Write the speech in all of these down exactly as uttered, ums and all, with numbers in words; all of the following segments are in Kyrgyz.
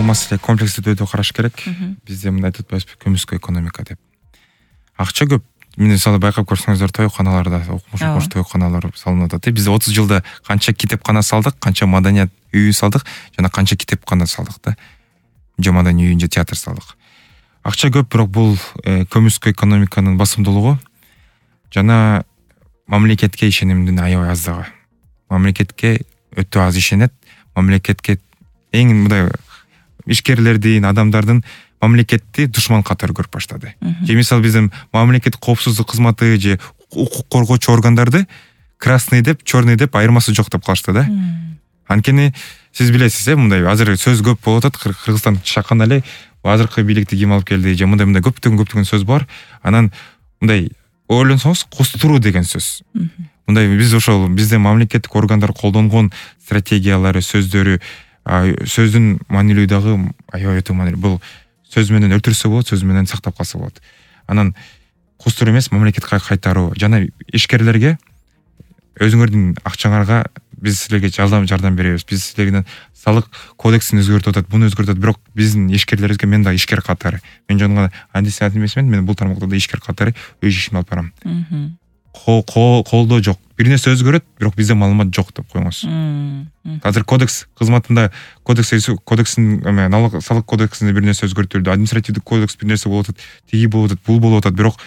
бул маселе комплекстүү түрдө караш керек. Бизде мындай айтып атпайбызбы, көмүскө экономика деп. Акча көп. Мен мисалы байкап көрсөңүздөр, тоюканаларда, окумуш окуш тоюканалар салынып атат. Биз отуз жылда канча китепкана салдык, канча маданият үйү салдык жана канча китепкана салдык да. Же маданий үйүн, же театр салдык. Акча көп, бирок бул көмүскө экономиканын басымдуулугу жана мамлекетке ишенимдин аябай аздыгы. Мамлекетке өтө аз ишенет. Мамлекетке эң мындай ишкерлердин, адамдардын мамлекетти душман катары көрүп баштады. Же мисалы биздин мамлекет коопсуздук кызматы же укук коргоочу органдарды красный деп, черный деп айырмасы жок деп калышты да. Анткени сиз билесиз, э, мындай азыр сөз көп болуп атат. Кыргызстан чакан эле азыркы бийликти ким алып келди, же мындай мындай көптөгөн көптөгөн сөз бар. Анан мындай ойлонсоңуз, кустуруу деген сөз. Мындай биз ошол биздин мамлекеттик органдар колдонгон стратегиялары, сөздөрү, сөздүн маанилүү дагы аябай өтө маанилүү. Бул сөз менен өлтүрсө болот, сөз менен сактап калса болот. Анан кустуруу эмес, мамлекетке кайтаруу жана ишкерлерге өзүңөрдүн акчаңарга биз силерге жардам жардам беребиз. Биз силерден салык кодексин өзгөртүп атат, буну өзгөртүп атат, бирок биздин ишкерлерибизге мен да ишкер катары. Мен жана антисият эмесмин, мен бул тармакта да ишкер катары өз ишимди алып барам. Колдоо жок. Бир нерсе өзгөрөт, бирок бизде маалымат жок деп коюңуз. Азыр кодекс кызматында кодекс кодекстин налог салык кодексинде бир нерсе өзгөртүлдү, административдик кодекс бир нерсе болуп атат, тиги болуп атат, бул болуп атат, бирок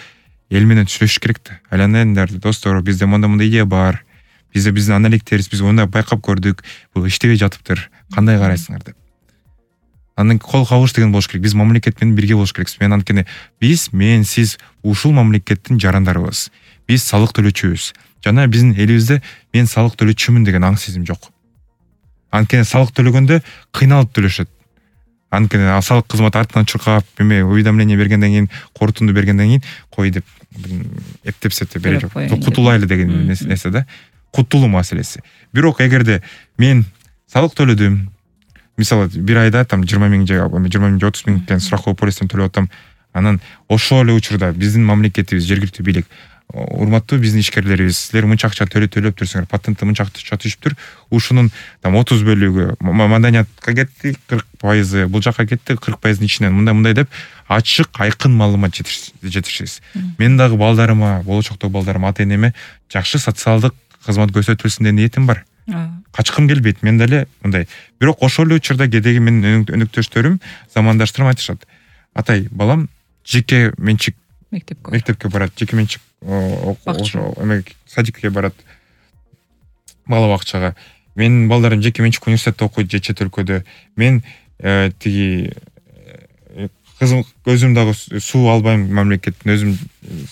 эл менен сүйлөшүш керек да. Айланыңдар, достор, бизде мындай мындай идея бар. Бизде биздин аналитиктерибиз, биз мындай байкап көрдүк, бул иштебей жатыптыр. Кандай карайсыңар деп. Андан кол кабыш деген болуш керек. Биз мамлекет менен бирге болуш керекпиз. Мен анткени биз, мен, сиз ушул мамлекеттин жарандарыбыз. Биз салык төлөөчүбүз. Жана биздин элибизде мен салык төлөчүмүн деген аң сезим жок. Анткени салык төлөгөндө кыйналып төлөшөт. Анткени салык кызмат артынан чуркап, эме уведомление бергенден кийин, корутунду бергенден кийин кой деп эптепсете берип кутулайлы деген нерсе да. Кутулуу маселеси. Бирок эгерде мен салык төлөдүм, мисалы бир айда там жыйырма миң же жыйырма миң же отуз миңден страховой полистен төлөп атам, анан ошол эле учурда биздин мамлекетибиз, жергиликтүү бийлик, урматтуу биздин ишкерлерибиз, силер мынча акча төлөп төлөп турсуңар, патентти мынча акча түшүптүр, ушунун там отуз бөлүгү маданиятка кетти, кырк пайызы бул жака кетти, кырк пайыздын ичинен мындай-мындай деп ачык, айкын маалымат жетишсиз. Мен дагы балдарыма, болочоктогу балдарыма, ата-энеме жакшы социалдык кызмат көрсөтүлсүн деген ниетим бар. Качкым келбейт, мен деле мындай. Бирок ошол эле учурда кедеги менин өнөктөштөрүм, замандаштарым айтышат. Атай, балам жеке менчик мектепке мектепке барат, жеке менчик ошо эме садикке барат, бала бакчага. Менин балдарым жеке менчик университетте окуйт, же чет өлкөдө. Мен тиги кызым өзүм дагы суу албайм, мамлекеттин өзүм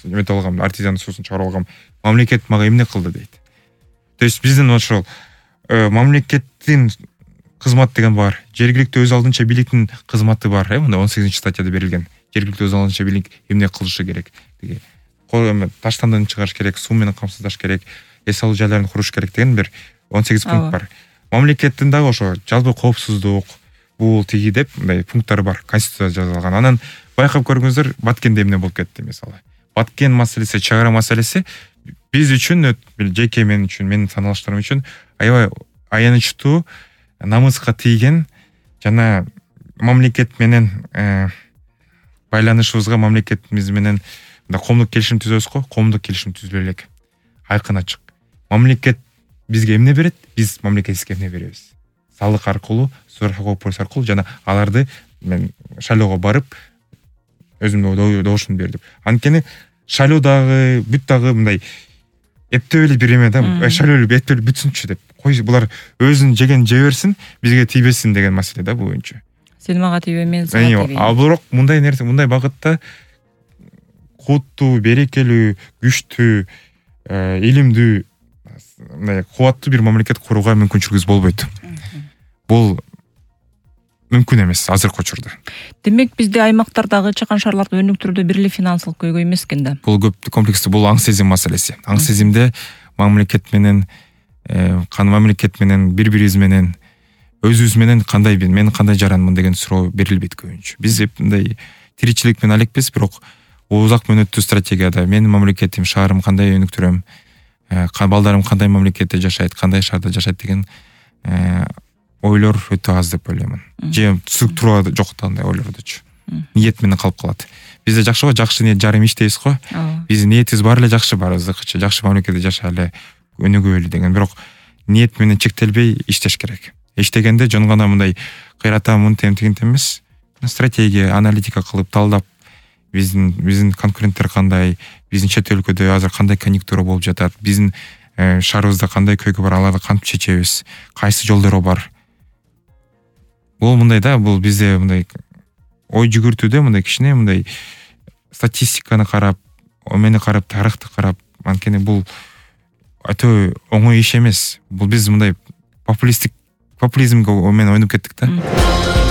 эмете алгам, артезиан суусун чыгарып алгам. Мамлекет мага эмне кылды дейт. То есть биздин ошол мамлекеттин кызмат деген бар. Жергиликтүү өз алдынча бийликтин кызматы бар, э, мында он сегизинчи статьяда берилген. Жергиликтүү өз алдынча бийлик эмне кылышы керек? Тиги таштандан чыгарыш керек, суу менен камсыздаш керек, эс алуу жайларын куруш керек деген бир он сегиз пункт бар. Мамлекеттин дагы ошо жалпы коопсуздук, бул тиги деп мындай пункттары бар, конституцияда жазылган. Анан байкап көрүңүздөр, Баткенде эмне болуп кетти мисалы. Баткен маселеси, чек ара маселеси биз үчүн, жеке мен үчүн, менин саналыштарым үчүн аябай аянычтуу, намыска тийген жана мамлекет менен байланышыбызга, мамлекетибиз менен коомдук келишим түзөбүз го, коомдук келишим түзүлө элек. Айкын ачык. Мамлекет бизге эмне берет, биз мамлекетибизге эмне беребиз. Салык аркылуу, страховой полис аркылуу жана аларды мен шайлоого барып өзүмдүн добушумду бердим. Анткени шайлоо дагы, бүт дагы мындай эптеп эле бир эме да, шайлоо эле эптеп эле бүтсүнчү деп. Кой булар өзүн жеген жей берсин, бизге тийбесин деген маселе да бул боюнча. Сен мага тийбе, мен сага тийбейм. А бирок мындай нерсе, мындай багытта куттуу, берекелүү, күчтүү, илимдүү, мындай кубаттуу бир мамлекет курууга мүмкүнчүлүгүбүз болбойт. Бул мүмкүн эмес азыркы учурда. Демек бизде аймактардагы чакан шаарларды өнүктүрүүдө бир эле финансылык көйгөй эмес экен да. Бул көп комплекстүү, бул аң сезим маселеси. Аң сезимде мамлекет менен кан мамлекет менен бири-бирибиз менен өзүбүз менен кандай мен кандай жаранмын деген суроо берилбейт көбүнчө. Биз мындай тиричилик менен алекпиз, бирок узак мөөнөттүү стратегияда менин мамлекетим, шаарым кандай өнүктүрөм, балдарым кандай мамлекетте жашайт, кандай шаарда жашайт деген ойлор өтө аз деп ойлоймун. Же структура жок андай ойлордучу. Ниет менен калып калат. Бизде жакшы го, жакшы ниет жарым иш дейбиз го. Биздин ниетибиз бар эле жакшы, баарыбыздыкыча жакшы мамлекетте жашайлы, өнүгөлү деген. Бирок ниет менен чектелбей иштеш керек. Иштегенде жөн гана мындай кыйрата мынтем тигинтем эмес, стратегия, аналитика кылып талдап, биздин биздин конкуренттер кандай, биздин чет өлкөдө азыр кандай конъюнктура болуп жатат, биздин шаарыбызда кандай көйгөй бар, аларды кантип чечебиз, кайсы жолдору бар. Бул мындай да, бул бизде мындай ой жүгүртүүдө мындай кичине мындай статистиканы карап, омени карап, тарыхты карап, анткени бул өтө оңой иш эмес. Бул биз мындай популисттик популизмге менен ойноп кеттик да.